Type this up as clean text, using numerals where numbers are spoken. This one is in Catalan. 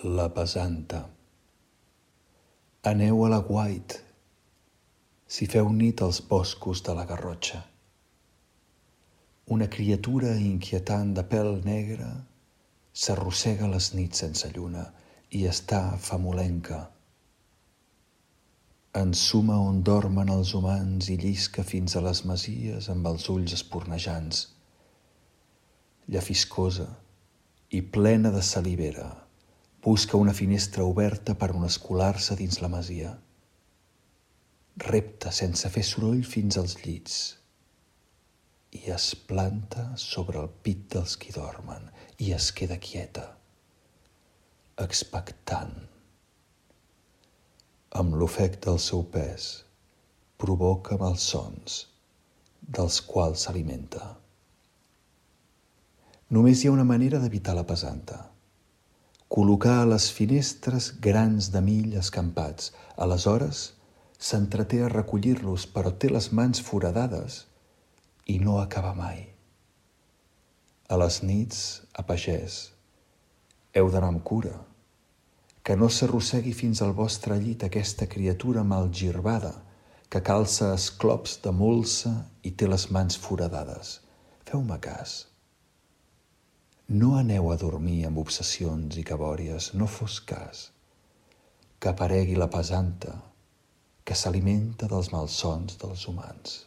La pesanta. Aneu a l'aguait, si feu nit als boscos de la Garrotxa. Una criatura inquietant de pèl negre s'arrossega les nits sense lluna i està famolenca. Ensuma on dormen els humans i llisca fins a les masies amb els ulls espornejants. Llafiscosa i plena de salivera, busca una finestra oberta per on escolar-se dins la masia. Repta sense fer soroll fins als llits i es planta sobre el pit dels qui dormen i es queda quieta, expectant. Amb l'ofec del seu pes provoca malsons dels quals s'alimenta. Només hi ha una manera d'evitar la pesanta: col·locar a les finestres grans de mill escampats. Aleshores s'entreté a recollir-los, però té les mans foradades i no acaba mai. A les nits, a pagès, heu d'anar amb cura, que no s'arrossegui fins al vostre llit aquesta criatura malgirbada que calça esclops de molsa i té les mans foradades. Feu-me cas. No aneu a dormir amb obsessions i cabòries, no fos cas que aparegui la pesanta que s'alimenta dels malsons dels humans.